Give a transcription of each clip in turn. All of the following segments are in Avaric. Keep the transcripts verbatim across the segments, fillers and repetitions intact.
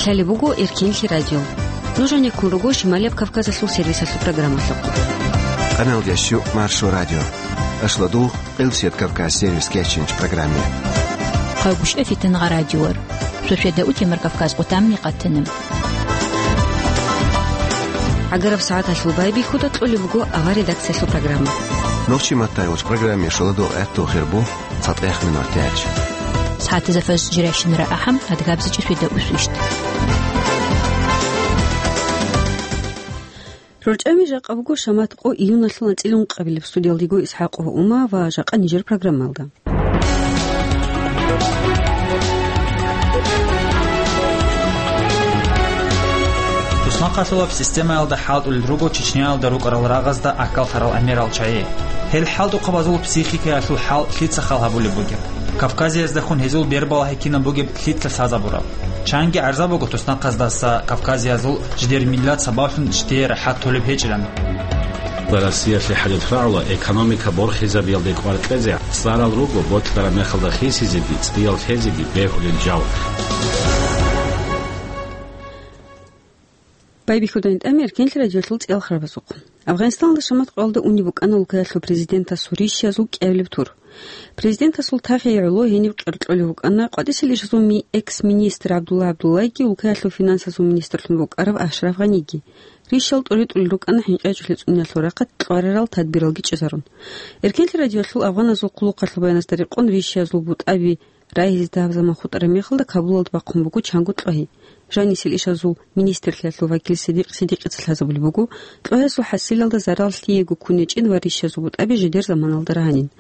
Лъалеб буго Эркенлъи радио. Нуж гьанеккун руго Шималияб Кавказалъул сервисалъул программалъухъ. Къаналдящу Маршо радио. Ашладу Къилсият Кавказ сервис кечинч программе. Къагушев Фитнагъа радиор. Сосведа утемар Кавказ къутамни къатанам. ГӀагараб сагӀаталъул байбихьуда кьолеб буго авар редакциялъул программа. Нохчи маттайгъуч программе шоладул гӀатту хирбу цатӀех минутач. СагӀатазда фаз жиращинара ахӀам, адгабзичӀ сосведа усвищт. РорчӀами жакъа буго шамат къо июналъул анцӀила ункъабилеб. Студиялдего Исхакъова Ума ва жакъа нижер программалда. Туснахъалъулаб системаялда хӀалтӀулел руго Чечняялда рукӀарал рагъазда акаллъарал гӀемерал чагӀи. Гьел хӀалтӀухъабазул психикаялъул хӀал лъица хал гьабулеб бугеб? Кавказияздахун гьезул бербалагьи кинаб бугеб лъица лъазабураб? Чанги гӀарза буго туснахъаздаса кавказиязул жидер миллат сабаблъун жидее рахӀат толеб гьечӀилан. Россиялъе хӀадуд рагӀула экономика борхизабиялде кӀвар кьезе цӀарал руго, бокьараб мехалда хисизеги, цӀиял лъезеги бегьулел жал. Байбихьудайин тӀами Эркенлъи радиолъул цӀиялхарабазухъ. Афганистанда шамат къоялда унеб букӀана улкаялъул президентасул рищиязул кӀиабилеб тур. Президентасул тахие гӀоло гьениб къеркьолев вукӀана къватӀисел ишазул ми-, экс-министр ГӀабдулла ГӀабдуллайги улкаялъул финансазул министрлъун вукӀарав Ашраф Гъаниги. Рищал тӀоритӀулел рукӀана хӀинкъи гьечӀолъи цӀуниялъул рахъалъ кьварарал тадбиралги чӀезарун. Эркенлъи радиолъул афганазул хъулухъалъул баянасда рекъон рищиязул бутӀаби рагьизе дагьаб заман хутӀараб мехалда Кабулалда бахъун буго чанго кьвагьи. Жанисел ишазул министрлъиялъул вакил Сидикъ Сидикъица лъазабулеб буго, кьвагьазул хӀасилалда зарал лъиего ккун гьечӀин ва рищазул бутӀаби жидер заманалда рагьанин.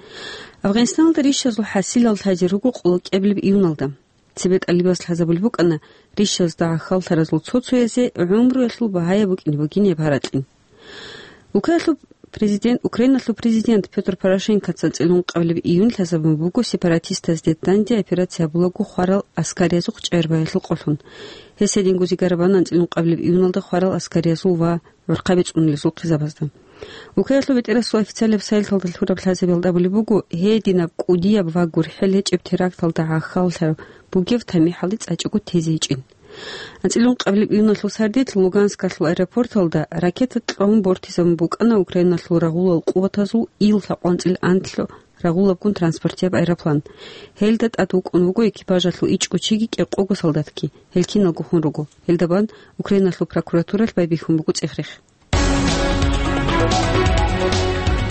Афганистаналда рищазул хӀасилал лъазе руго къоло кӀиабилеб июналда. Цебе тӀалибаз лъазабулеб букӀана, рищазда гӀахьаллъаразул цо-цоязе гӀумруялъул багьаяб букӀине бугин гьеб гьаракьин. Улкаялъул президент, Украиналъул президент Пётр Порошенкоца анцӀила ункъабилеб июнь лъазабун буго сепаратистазде данде операция гьабулаго хварал аскариязухъ чӀегӀербаялъул къолъун. Гьес гьединго зигарабана анцӀила ункъабилеб июналда хварал аскариязул ва гӀурхъаби цӀунулезул хъизабазда. Улкаялъул бетӀерасул официалияб сайталда лъураб лъазабиялда абулеб буго, гьединаб кӀудияб ва гурхӀел гьечӀеб теракталда гӀахьаллъараб бугев тамихӀалде цӀачӀого тезе гьечӀин. АнцӀила ункъабилеб июналъул сардилъ Луганскалъул аэропорталда ракета кьвагьун бортизабун букӀана Украиналъул рагъулал къуватазул Ил лъабкъоялда анцӀила анлъго рагъулабгун транспортияб аэроплан. Гьелда тӀад вукӀун вуго экипажалъул ичӀго чиги кӀикъого солдатги. Гьел киналго хун руго. Гьелда бан Украиналъул прокуратуралъ байбихьун буго цӀех-рех.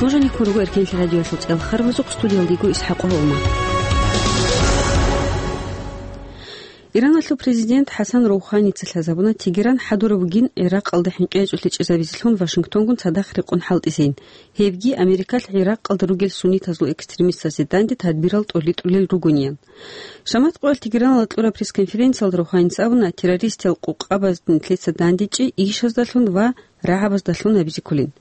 Нуж гьанеккун руго Эркенлъи радиоялъул цӀиялхарабазухъ, студиялда йиго Исхакъова Ума. Ираналъул президент ХӀасан Роуханица лъазабуна Тегеран хӀадураб бугин ГӀиракъалда хӀинкъи гьечӀолъи чӀезабизелъун Вашингтонгун цадахъ рекъон хӀалтӀизейин, гьебги Америкалъ ГӀиракъалда ругел суннитазул экстремистазе данде тадбирал тӀоритӀулел ругониян. Шамат къоялъ Тегераналда кьураб пресс-конференциялда Роуханица абуна, террористиял къукъабаз нилъеца дандечӀи ишаздалъун ва рагӀабаздалъун гьабизе кколин.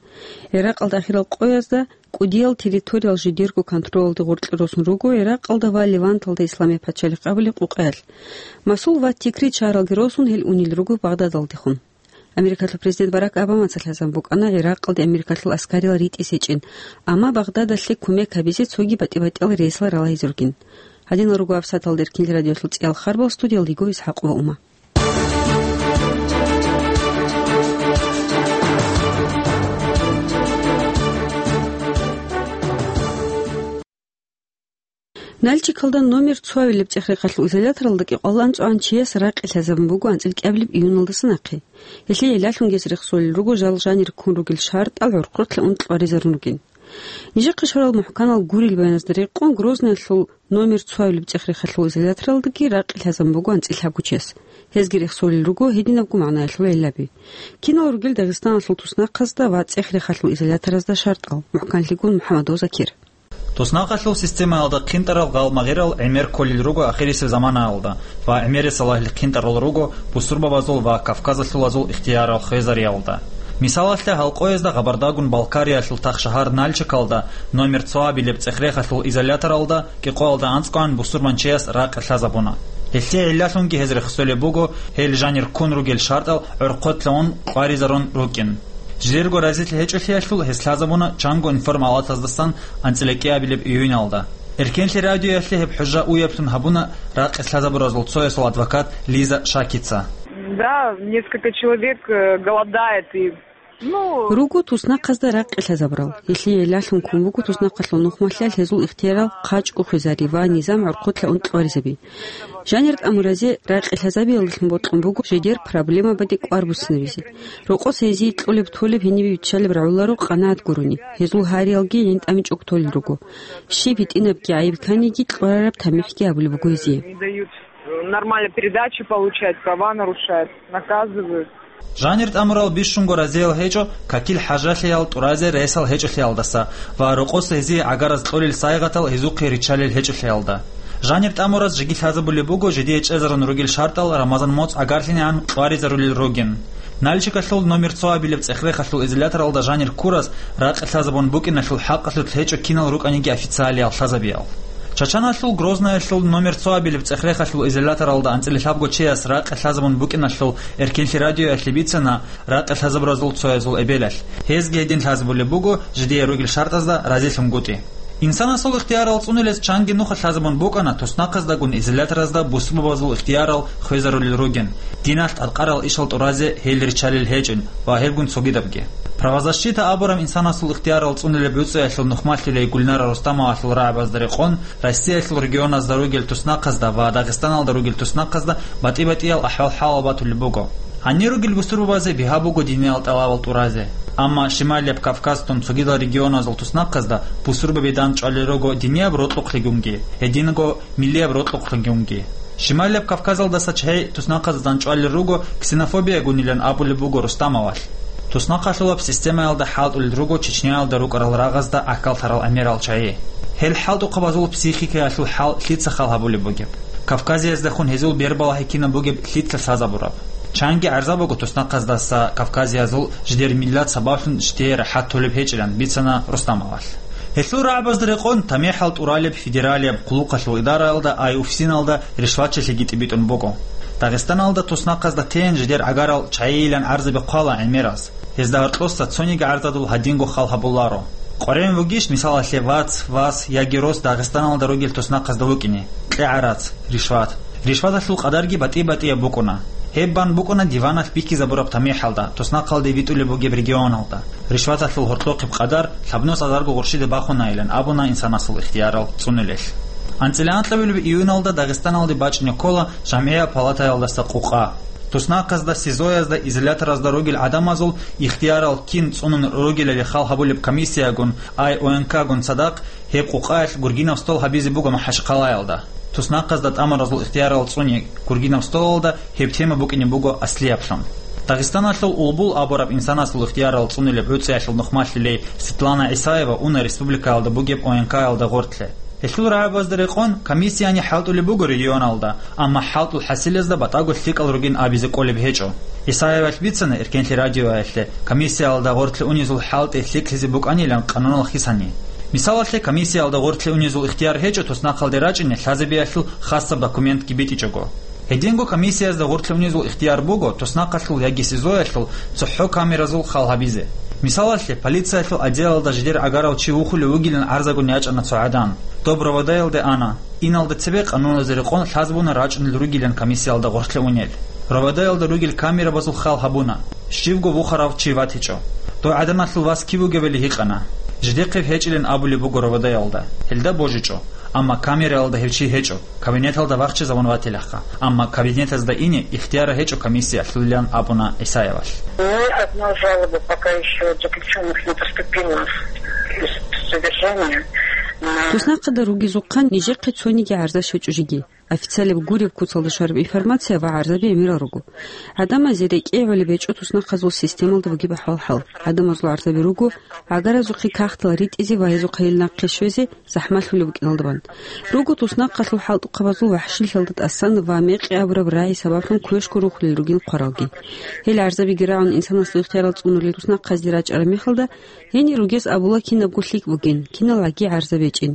ГӀиракъалда ахирал къоязда кӀудиял территориял жидерго контролалде гъоркье росун руго ГӀиракъалда ва Леванталда Исламияб пачалихъ абулеб къукъаялъ. Масул ва Тикрит шагьаралги росун гьел унел руго Багъдадалдехун. Америкалъул президент Барак Обамаца лъазабун букӀана ГӀиракъалде Америкалъул аскариял ритӀизе гьечӀин, амма Багъдадалъе кумек гьабизе цоги батӀи-батӀиял рейсал ралагьизе ругин. Гьадинал руго гьаб сагӀаталда Эркенлъи радиоялъул цӀиялхарабал, студиялда йиго Исхакъова Ума. Нальчикалда номер цо абилеб цӀех-рехалъул изоляторалда кӀикъоялда анцӀгоян чияс ракъи лъазабун буго анцӀила кӀиабилеб июналдаса нахъе. Гьелъие гӀиллалъунги гьез рехсолел руго жал жанир ккун ругел шартӀал гӀорхъотлъун кьваризарун ругин. Нижехъе щварал мухӀканал гурел баяназда рекъон, Грозныйялъул номер цо абилеб цӀех-рехалъул изоляторалдаги ракъи лъазабун буго анцӀила лъабго чияс. Гьезги рехсолел руго гьединабго магӀнаялъул гӀиллаби. Кинал ругел Дагъистаналъул туснахъазда ва цӀех-рехалъул изоляторазда шартӀал, мухӀканлъигун МухӀаммадов Закир. Туснахъалъул системаялда хъинтӀарал гъалмагъирал гӀемер кколел руго ахирисеб заманаялда ва гӀемерисел лагьил хъинтӀарал руго бусурбабазул ва кавказалъулазул ихтиярал хвезариялда. Мисалалъе, гьал къоязда Гъабардагун Балкариялъул тахшагьар Нальчикалда номер цо абилеб цӀех-рехалъул изоляторалда кӀикъоялда анцӀгоян бусурманчияс ракъи лъазабуна. Гьелъие гӀиллалъунги гьез рехсолеб буго гьел жанир ккун ругел шартӀал гӀорхъотлъун кьваризарун рукӀин. Жидерго разилъи гьечӀолъиялъул гьес лъазабуна чанго информалатаздасан анцӀила кӀиабилеб июналда. Эркенлъи радиоялъе гьеб хӀужа уяблъун гьабуна ракъи лъазабуразул цоясул адвокат Лиза Шакица. Да, несколько человек, э, голодает и, ну, Руго туснахъазда ракъи лъазабурал. Гьелъие гӀиллалъун ккун буго туснахъалъул нухмалъиялъ гьезул ихтиярал хъачӀго хвезари ва низам гӀорхъулъа ункьлъуаризаби. Жанир тӀамуразе ракъи лъазабиялдалъун бокьун буго жидер проблемабаде кӀвар буссинабизе. Рокъос гьезие кьолеб-толеб гьенибе биччалеб рагӀуларо къанагӀат гурони, гьезул гьариялги гӀинтӀамичӀого толел руго. Щиб гьитӀинабги гӀайиб кканиги кьурараб тамихӀги гьабулеб буго гьезие. Не дают, э, нормально передачи получать, права нарушают, наказывают. Жанир тӀамурал бищунго разиял гьечӀо какил хӀажалъиял тӀуразе ресал гьечӀолъиялдаса ва рокъос гьезие гӀагараз кьолел сайгъатал гьезухъе риччалел гьечӀолъиялда. Жанир тӀамураз жеги лъазабулеб буго жидее чӀезарун ругел шартӀал Рамазан моцӀ гӀагарлъинегӀан кьваризарулел ругин. Нальчикалъул номер цо абилеб цӀех-рехалъул изоляторалда жанир ккурас ракъи лъазабун букӀиналъул хӀакъалъулъ гьечӀо кинал рукӀаниги официалиял лъазабиял. Чачаналъул Грознаялъул номер цо абилеб цӀех-рехалъул изоляторалда анцӀила лъабго чияс ракъи лъазабун букӀиналъул Эркенлъи радиоялъе бицана ракъи лъазабуразул цоязул эбелалъ. Гьезги гьедин лъазабулеб буго жидее ругел шартӀазда разилъунгутӀи. Инсанасул ихтиярал цӀунулез чанги нуха лъазабун букӀана туснахъаздагун изоляторазда бусурбабазул ихтиярал хвезарулел ругин, диналъ тӀадкъарал ишал тӀуразе гьел риччалел гьечӀин ва гьебгун цогидабги. Правозащита абураб инсанасул ихтиярал цӀунулеб гӀуцӀиялъул нухмалъилей Гульнара Рустамовалъул рагӀабазда рекъон, Россиялъул регионазда ругел туснахъазда ва Дагъистаналда ругел туснахъазда батӀи-батӀиял ахӀвал-хӀалал батулеб буго. Гьанир ругел бусурбабазе бигьа буго диниял тӀалабал тӀуразе. Амма Шималияб Кавказтун цогидал регионазул туснахъазда бусурбаби дандчӀвалел руго динияб рокьукълъигунги, гьединго миллияб рокьукълъигунги. Шималияб Кавказалдаса чагьи туснахъазда дандчӀвалел руго ксенофобиягунилан абулеб буго Рустамовалъ. Туснахъалъулаб системаялда хӀалтӀулел руго Чечняялда рукӀарал рагъазда гӀахьаллъарал гӀемерал чагьи. Гьел хӀалтӀухъабазул психикаялъул хӀал лъица хал гьабулеб бугеб? Кавказияздехун гьезул бербалахӀи кинаб бугеб лъица лъазабураб? Чанги гӀарза буго туснахъаздаса кавказиязул жидер миллат сабаблъун жидее рахӀат толеб гьечӀилан, бицана Рустамовалъ. Гьелъул рагӀабазда рекъон тамихӀал тӀуралеб федералияб хъулухъалъул идараялда ай УФСИНалда ришватчилъиги тӀибитӀун буго. Дагъистаналда туснахъазда тейин жидер гӀагарал чагьийилан гӀарзаби хъвала гӀемераз. Гьезда гьоркьоса цониги гӀарзадул гьадинго хал гьабуларо. КъваригӀун вугищ, мисалалъе, вац, вас яги рос Дагъистаналда ругел туснахъазда вукӀине, кьегӀарац, ришват. Ришваталъул къадарги батӀи-батӀияб букӀуна. Гьеб бан букӀуна диваналъ бихьизабураб тамихӀалда, туснахъалде витӀулеб бугеб регионалда. Ришваталъул гьоркьохъеб къадар лъабнус азарго гъурщиде бахунайилан абуна инсанасул ихтиярал цӀунулелъ. АнцӀила анкьабилеб июналда Дагъистаналде бачӀине ккола ЖамгӀияб палатаялдаса къукъа. Туснахъазда, СИЗО-язда, изоляторазда ругел гӀадамазул ихтиярал кин цӀунун ругелали хал гьабулеб комиссиягун, ай ОНК-гун цадахъ, гьеб къукъаялъ гургинаб стол гьабизе буго МахӀачхъалаялда. Туснахъазда тӀамуразул ихтиярал цӀуни гургинаб столалда гьеб тема букӀине буго аслияблъун. Дагъистаналъул Улбул абураб инсанасул ихтиярал цӀунулеб гӀуцӀиялъул нухмалъилей Светлана ГӀисаева уна республикаялда бугеб ОНК-ялда гъоркье. Гьелъул рагӀабазда рекъон комиссияни хӀалтӀулеб буго регионалда, амма хӀалтӀул хӀасилазда батӀаго лъикӀал ругин абизе кӀолеб гьечӀо. ГӀисаевалъ бицана Эркенлъи радиоялъе комиссиялда гъоркье унезул хӀалтӀи лъикӀлъизе букӀанилан къануналъ хисани. Мисалалъе, комиссиялда гъоркье унезул ихтияр гьечӀо туснахъалде рачӀине лъазабиялъул хасаб документги битӀичӀого. Гьединго комиссиязда гъоркье унезул ихтияр буго туснахъалъул яги СИЗО-ялъул цохӀо камеразул хал гьабизе. Мисалалъе, полициялъул отделалда жидер гӀагарав чи вухулев вугилан гӀарзагун ячӀана цо гӀадан. Доб РОВД-ялде ана. Иналда цебе къануназе рекъон лъазабуна рачӀунел ругилан комиссиялда гъоркье унел. РОВД-ялда ругел камерабазул хал гьабуна. Щивго вухарав чи ватичӀо. Дов гӀаданалъул вас кив вугевали гьикъана. Жидехъе гьечӀилан абулеб буго РОВД-ялда. Гьелда божичӀо. Амма камераялда гьев чи гьечӀо. Кабинеталда вахчизабун ватилаха, амма кабинетазда ине ихтияр гьечӀо комиссиялъулилан абуна ГӀисаевалъ. Ни одна жалоба пока ещё от заключённых не поступила в содержание на Туснахъада ругезухъан нижехъе цониги гӀарза щвечӀо жеги. Официалаб гуреб куцалда щвараб информация ва гӀарзаби гӀемерал руго. ГӀадамазе рекӀее гӀолеб гьечӀо туснахъазул системалда бугеб ахӀвал-хӀал. ГӀадамазул гӀарзаби руго, гӀагаразухъе кагътал ритӀизе ва гьезухъе гьел нахъе щвезе, захӀмалъулеб букӀиналда бан. Руго туснахъалъул хӀалтӀухъабазул вахӀшилъиялда тӀасан ва мекъи абураб рагӀи сабаблъун квешго рухулел ругин хъваралги. Гьел гӀарзабиги рагӀун инсанасул ихтиярал цӀунулел туснахъазде рачӀараб мехалда, гьенир ругез абула кинабго лъикӀ бугин, киналгӀаги гӀарза бечӀин.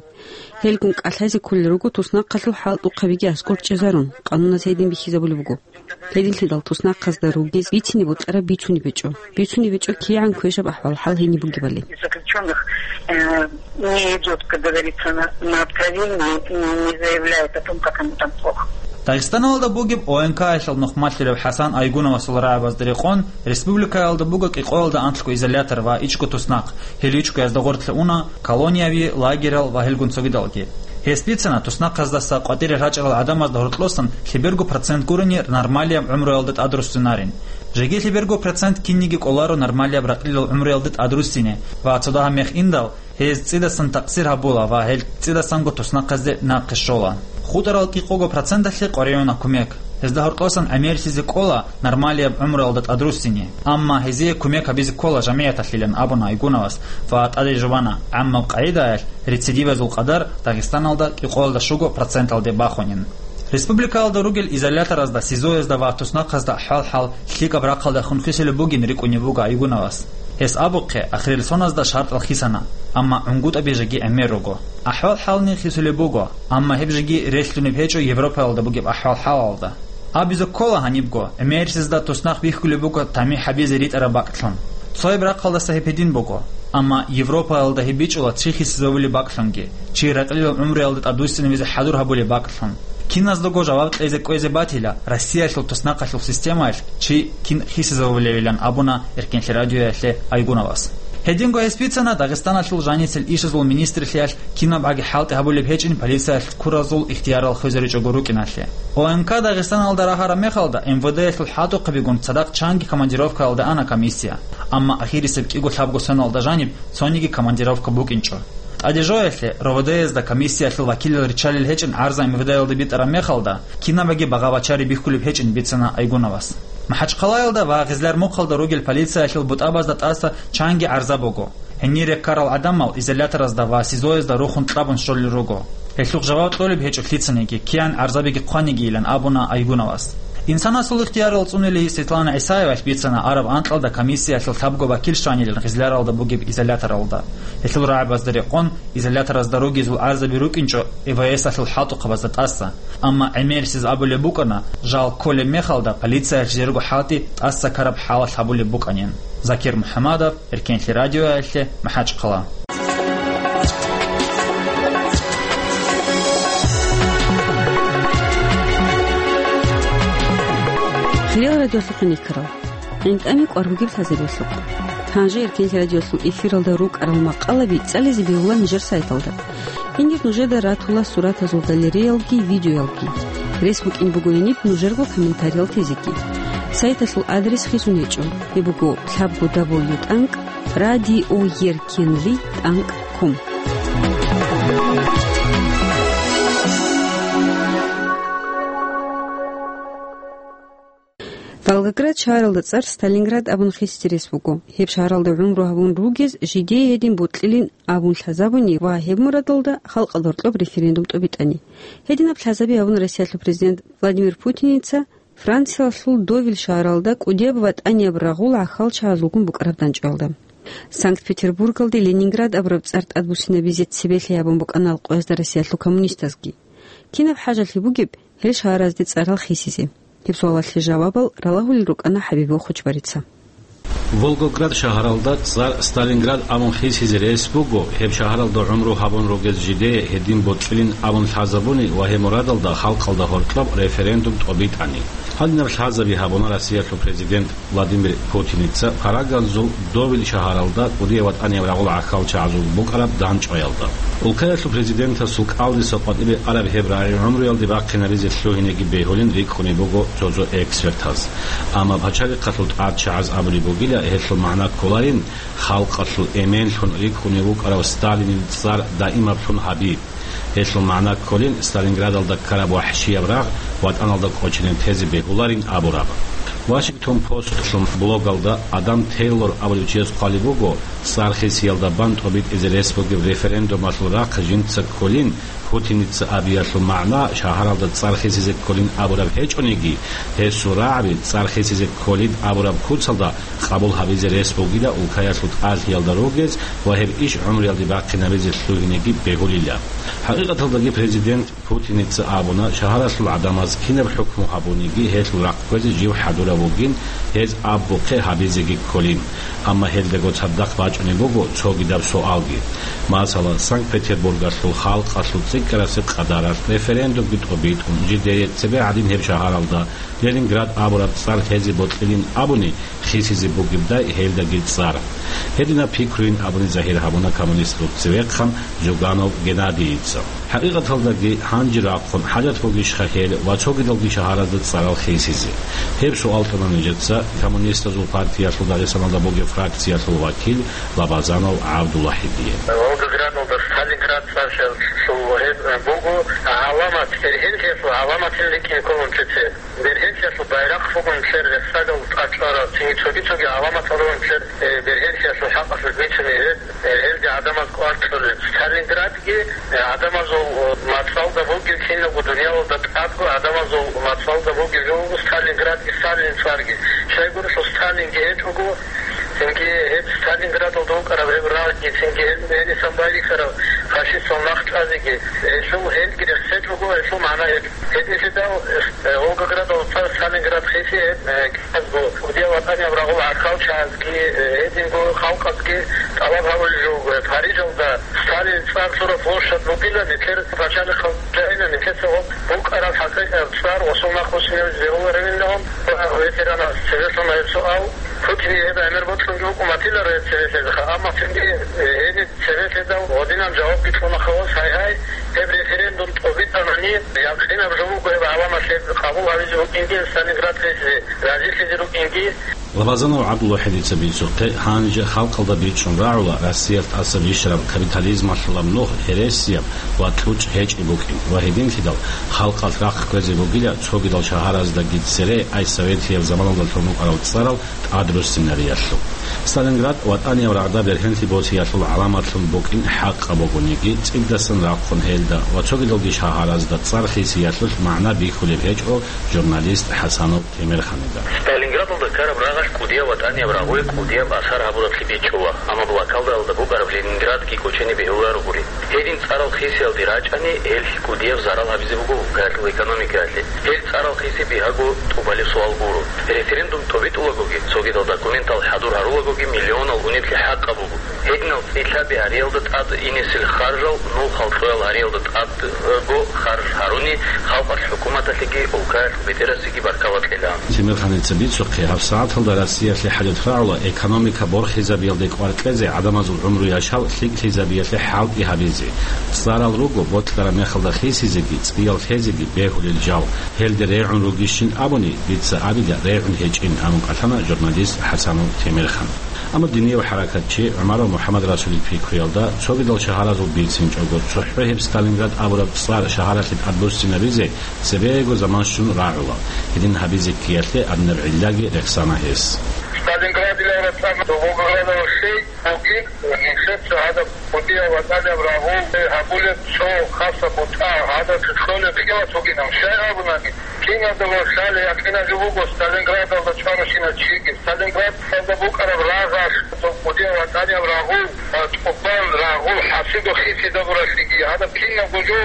Гьелгун кӀалъазе кколел руго туснахъалъул хӀалтӀухъабиги аскӀор чӀезарун, къануназ гьедин бихьизабулеб буго. Гьединлъидал туснахъазда ругез бицине бокьараб бицунеб гьечӀо. Бицунеб гьечӀо кигӀан квешаб ахӀвал-хӀал гьениб бугебали. Заключённых, э, не идёт, как говорится, на, на откровение и не заявляет о том, как ему там плохо. Дагъистаналда бугеб ОНК-ялъул нухмалъулев ХӀасан Айгуновасул рагӀабазда рекъон, республикаялда буго кӀикъоялда анлъго изолятор ва ичӀго туснахъ, гьел ичӀгоязда гъорлъе уна колонияви, лагерал ва гьелгун цогидалги. Гьес бицана, туснахъаздаса къватӀире рачӀарал гӀадамазда гьоркьосан лъеберго процент гурони нормалияб гӀумруялда тӀадруссинарин. Жеги лъеберго процент кинниги кӀоларо нормалияб ракьилал гӀумруялда тӀадруссине ва цо дагьаб мех индал, гьез цӀидасан такъсир гьабула ва гьел цӀидасанго туснахъазде нахъе щола. ХутӀарал кӀикъого проценталъе къваригӀуна кумек. Гьезда гьоркьосан гӀемерлъизе кӀола нормалияб гӀумруялда тӀадруссине, амма гьезие кумек гьабизе ккола жамигӀаталъилан абуна Айгуновас ва тӀаде жубана, гӀаммаб къагӀидаялъ рецидивазул къадар Дагъистаналда кӀикъоялда щуго проценталде бахунин. Республикаялда ругел изоляторазда, СИЗО-язда ва туснахъазда ахӀвал-хӀал лъикӀаб рахъалдехун хисулеб бугин рикӀкӀунеб буго Айгуновас. Гьес абухъе, ахирил соназда шартӀал хисана, амма гӀунгутӀаби жеги гӀемер руго. АхӀвал-хӀални хисулеб буго, амма гьеб жеги релълъунеб гьечӀо Европаялда бугеб ахӀвал-хӀалалда. Абизе ккола гьанибго, гӀемерисезда туснахъ бихьулеб буго тамихӀ гьабизе ритӀараб бакӀлъун. Цояб рахъалдаса гьеб гьедин буго, амма Европаялда гьеб бичӀчӀула чи хисизавулеб бакӀлъунги, чи ракьилал гӀумруялда тӀадвуссинабизе хӀадур гьабулеб бакӀлъун. Киназдаго жаваб кьезе кӀвезе батила Россиялъул туснахъалъул системаялъ чи кин хисизавулевилан абуна Эркенлъи радиоялъе Айгуновас. Гьединго гьес бицана Дагъистаналъул жанисел ишазул министрлъиялъ кинабгӀаги хӀалтӀи гьабулеб гьечӀин полициялъ ккуразул ихтиярал хвезаричӀого рукӀиналъе. ОНК Дагъистаналда рагьараб мехалда, МВД-ялъул хӀалтӀухъабигун цадахъ чанги командировкаялда ана комиссия, амма ахирисеб кӀиго-лъабго соналда жаниб цониги командировка букӀинчӀо. ТӀаде жоялъе, РОВД-язда комиссиялъул вакилал риччалел гьечӀин гӀарза МВД-ялда битӀараб мехалда, кинабаги багъа-бачари бихьулеб гьечӀин бицана Айгуновас. МахӀачхъалаялда ва Гъизлар-Мухъалда ругел полициялъул бутӀабазда тӀаса чанги гӀарза буго. Гьенире ккарал гӀадамал изоляторазда ва СИЗО-язда рухун кьабун щолел руго. Гьелъухъ жаваб кьолеб гьечӀо лъицаниги, киян гӀарзабиги хъванигийилан абуна Айгуновас. Инсанасул ихтиярал цӀунили Светлана ГӀисаевалъ бицана араб анкьалда комиссиялъул лъабго вакил щванилан Гъизларалда бугеб изоляторалда. Гьелъул рагӀабазда рекъон, изоляторазда ругезул гӀарзаби рукӀинчӀо МВС-алъул хӀалтӀухъабазда тӀаса. Амма гӀемерисез абулеб букӀана, жал кколеб мехалда полициялъ жерго хӀалтӀи тӀаса ккараб хӀалалъ гьабулеб букӀанин. Закир МухӀамадов, Эркенлъи радиоялъе, МахӀачхъала. Хириял радиолъухъ никарал. ГӀинтӀами кӀвар бугеб лъазабиялъухъ. Гьанже Эркенлъи радиолъул эфиралда рукӀарал макъалаби цӀализе бегьула нижер сайталда. Гьенир нужеда ратула суратазул галереялги видеоялги. Рес букӀин буго гьениб нужерго комментариял тезеги. Сайталъул адрес хисун гьечӀо. Гьеб буго лъабго дабл ю тӀанкӀ радиоеркенлъи тӀанкӀ ком. Волгоград шагьаралда цӀар Сталинград абун хисизе рес буго. Гьеб шагьаралда гӀумру гьабун ругез жидее гьедин бокьилин абун лъазабуни ва гьеб мурадалда халкъалда гьоркьоб референдум тӀобитӀани. Гьединаб лъазаби гьабуна Россиялъул президент Владимир Путиница Франциялъул Довиль шагьаралда кӀудияб ВатӀанияб рагъул гӀахьалчагӀазулгун букӀараб дандчӀвалда. Санкт-Петербургалде Ленинград абураб цӀар тӀадбуссинабизе цебелъи гьабун букӀана къоязда Россиялъул коммунистазги. Кинаб хӀажалъи бугеб гьел шагьаразде цӀарал хисизе? Гьеб суалалъе жавабал ралагьулел рукӀана ХӀабибул Хучбарица. Волгоград шагьаралда цӀар Сталинград абун хисизе рес буго, гьеб шагьаралда гӀумру гьабун ругез жидее гьедин бокьилин абун лъазабуни ва гьеб мурадалда халкъалда гьоркьоб референдум тӀобитӀани. Гьадинаб лъазаби гьабуна Россиялъул президент Владимир Путиница Парагазул Довиль шагьаралда кӀудияб ВатӀанияб рагъул гӀахьалчагӀазул букӀараб дандчӀваялда. Улкаялъул президентасул кӀалдиса къватӀибе араб гьеб рагӀи гӀумруялде бахъинабизе лъугьинеги бегьулин рикӀкӀунеб буго цо-цо экспертаз. Амма пачалихъалъул тӀадчагӀаз абулеб бугила, гьелъул магӀна кколарин, халкъалъул эменлъун рикӀкӀунев вукӀарав Сталинил цӀар даимаблъун гьаби. Гьелъул магӀна кколин, Сталинградалда ккараб вахӀшияб рагъ ватӀаналда кӀочине тезе бегьуларин абураб. Вашингтон Постлъун блогалда Адам Тейлор абулев чияс хъвалеб буго, цӀар хисиялда бан тӀобитӀизе рес бугеб референдумалъул рахъ жинца кколин, Путиница абиялъул магӀна шагьаралда цӀар хисизе кколин абураб гьечӀониги, гьесул рагӀаби цӀар хисизе кколин абураб куцалда къабул гьабизе рес бугила улкаялъул тӀалъиялда ругез ва гьеб иш гӀумруялде бахъинабизе лъугьинеги бегьулила. ХӀакъикъаталдаги президент Путиница абуна, шагьаралъул гӀадамаз кинаб хӀукму гьабуниги гьелъул рахъ кквезе жив хӀадурав вугин, гьез абухъе гьабизеги кколин. Амма гьелдаго цадахъ бачӀунеб буго цогидаб суалги. Масала, Санкт-Петербургалъул халкъалъул цӀикӀ КӀарасе къадаралъ референдумги тӀобитӀун, жидее цебе гӀадин гьеб шагьаралда Ленинград абураб цӀар лъезе бокьилин абуни, хисизе бугебдай гьелдаги цӀар. Гьединаб пикруйин абуни загьир гьабуна коммунистазул цевехъан Зюганов Геннадийица. ХӀакъикъаталдаги гьанже рахъун хӀажат бугищха гьел ва цогидалги шагьаразда цӀарал хисизе? Гьеб суал кьуна нижеца Коммунистазул партиялъул Дагъистаналда бугеб фракциялъул вакил Лабазанов ГӀабдулвахӀидие. Волгоградалда Сталинград цӀар лъугьун гьеб буго гӀаламат, бергьенлъиялъул гӀаламатин рикӀкӀине кколин цеце. Бергьенлъиялъул байрахъ бугин цер рехсагал тӀад чӀвараб, цинги цоги-цоги гӀаламатал ругин цер, э, бергьенлъиялъул хӀакъалъулъ бицине гьеб, э, гьелде гӀадамаз кӀвар кьолел. Сталинградги, э, гӀадамазул, э, мацӀалда бугеб, кинабго дуниялалда тӀадго гӀадамазул мацӀалда бугеб жо буго Сталинградги Сталинил цӀарги. Щайгурелъул Сталинги гьечӀого, цинги гьеб Сталинградалда вукӀараб гьеб рагъги, цинги гьел гьенисан байрихьараб фашистал нах чӀвазеги, гьелъул гьелги рехсечӀого, гьелъул магӀна гьечӀо. Гьединлъидал, э, Волгоградалда цӀар Сталинград хисизе, э, кӀиязго, кӀудияв ватӀанияб рагъул гӀахьалчагӀазги, э, гьединго халкъазги тӀалаб гьабулеб жо буго, э, Парижалда Сталинил цӀар лъураб площадь бугила, нилъер пачалихъал жаниб, нилъеца гьеб букӀараб хӀакъикъияб цӀар ва суннахъ муслимияз бегьуларевилан, ветераназ цеве лъуна гьеб суал. Путине гьеб гӀемер бокьунги букӀун батиларо гьеб цеве лъезеха, амма цинги, э, гьениб цеве лъезаб гьединаб жавабги кьуна хавас, гьай-гьай, гьеб референдум тӀобитӀанани, якъинаб жо буго гьеб гӀаламат гьеб къабул гьабизе букӀинги, Сталинград хисизе разилъизе рукӀинги. Лабазанов ГӀабдулвахӀидица бицухъе, гьанже халкъалда бичӀчӀун рагӀула Россиялъ тӀаса бищараб капитализмалъулаб нугь гьересияб ва кьучӀ гьечӀеб букӀин ва гьединлъидал халкъалъ рахъ кквезе бугила цогидал шагьараздаги цере, ай советияб заманалда лъун букӀарал цӀарал тӀадруссинариялъул. Сталинград ватӀанияб рагъда бергьенлъи босиялъул гӀаламатлъун букӀин хӀакъаб бугониги, цӀидасан рахъун гьелда ва цогидалги шагьаразда цӀар хисиялъулъ магӀна бихьулеб гьечӀо журналист ХӀасанов Темирханида. Сталинградалда ккараб рагъалъ кӀудияв ватӀанияб рагъуе кӀудияб асар гьабураблъи бичӀчӀула, амма блокадалда букӀараб Ленинградги кӀочене бегьуларогури. Гьедин цӀарал хисиялде рачӀани, гьелъ кӀудияб зарал гьабизе буго улкаялъул экономикаялъе. Гьел цӀарал хиси бигьаго тӀубалеб суал гуро. Референдум тӀобитӀулагоги, цогидал документал хӀадур гьарулагоги миллионал унеблъи хӀакъаб буго. Гьединал цӀилъаби гьариялда тӀад инесел харжал, нул халкъоял гьариялда тӀадго харж гьаруни, халкъалъ, хӀукуматалъеги улкаялъул бетӀерасеги баркала кьела. Темирханица бицухъе, гьабсагӀаталда Россиялъе хӀажат рагӀула экономика борхизабиялде кӀвар кьезе, гӀадамазул гӀумру-яшав лъикӀлъизабиялъе хӀалтӀи гьабизе. ЦӀарал руго, бокьараб мехалда хисизеги, цӀиял лъезеги бегьулел жал. Гьелде регӀун ругищин абуни, дица абила регӀун гьечӀин, абун кӀалъана журналист ХӀасанов Темирхан. Амма динияб хӀаракатчи ГӀумаров МухӀаммадрасулил пикруялда, цогидал шагьаразул бицинчӀого, цохӀо гьеб Сталинград абураб цӀар шагьаралъе тӀадбуссинабизе цебего заман щун рагӀула. Гьедин гьабизе ккеялъе гьадинаб гӀиллаги рехсана гьес. Сталинград илараб цӀар Волгоградалъ щей бугин, нилъеца гьадаб кӀудияв ватӀанияб рагъул гьабулеб цо хасаб бутӀа, гьадаб кьолеб хӀикмат бугин, щай абунани, киналда ва лъалеб якъинаб жо буго Сталинградалда чӀваращинав чиги. Сталинградалда букӀараб рагъалъ, кӀудияв ватӀанияб рагъул, а, тӀубан рагъул хӀасидухъ хисизабуралъиги, гьадаб кинабго жо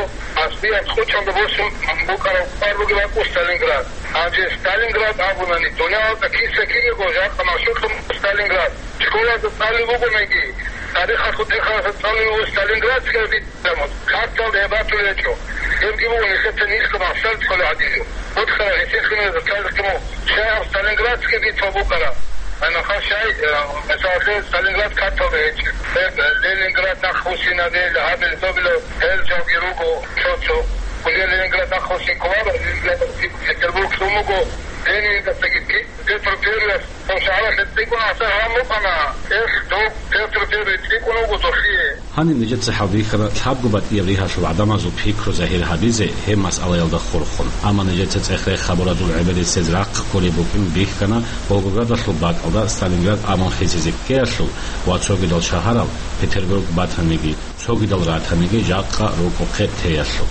аслияб кьучӀалда босун букӀараб кӀвар бугеб бакӀу Сталинград. Гьанже Сталинград абунани, дуниялалда киса-кинаго жакъа машгьурлъун Сталинград. Школалда цӀалулеб бугониги, тарихалъул тӀехалъа цӀалулеб буго Сталинградская битва, карталда гьеб батулеб гьечӀо. Гьебги буго нилъеца нилъго махсар цӀалулеб гӀадин. Мухъара гӀисинлъунарезда цалихъе мун, щай гьаб Сталинградская битва букӀараб? Гьанахъа щай, э, мисаллъе, Сталинград карталда гьечӀеб. Гьеб, э, Ленинград нахъбуссинаде, гьабил-добилаб гьел жалги руго, цо-цо. Уже Ленинград нахъбуссин кколаро, Ленинград, Петербург лъун буго, Ленинградасдаги Петр Первый. Гьеб шагьаралъе цӀикӀкӀун гӀасар гьабун букӀана. Эх, дов, Петр Первый цӀикӀкӀун вуго дохие. Гьаниб нижеца хӀалбихьана лъабго батӀияб ригьалъул гӀадамазул пикру загьир гьабизе гьеб масъалаялда хурхун. Амма нижеца цӀех-рех хабуразул гӀеберисез рахъ кколеб букӀин бихьана Волгоградалъул бакӀалда Сталинград абун хисизе ккеялъул ва цогидал шагьарал, Петербург батаниги, цогидал ратаниги жакъа рукӀухъе теялъул.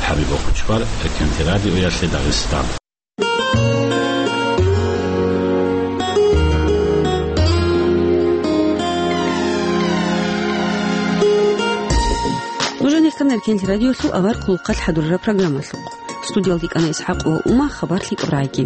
ХӀабиб Бохучкъвар, Эркенлъи радиоялъе Дагъистан. Нуж гьанир ккана Эркенлъи радиолъул авар хъулухъалъ хӀадурараб программалъухъ. Студиялда йикӀана ИсхӀакъ ва Ума, хабар лъикӀаб рагӀаги.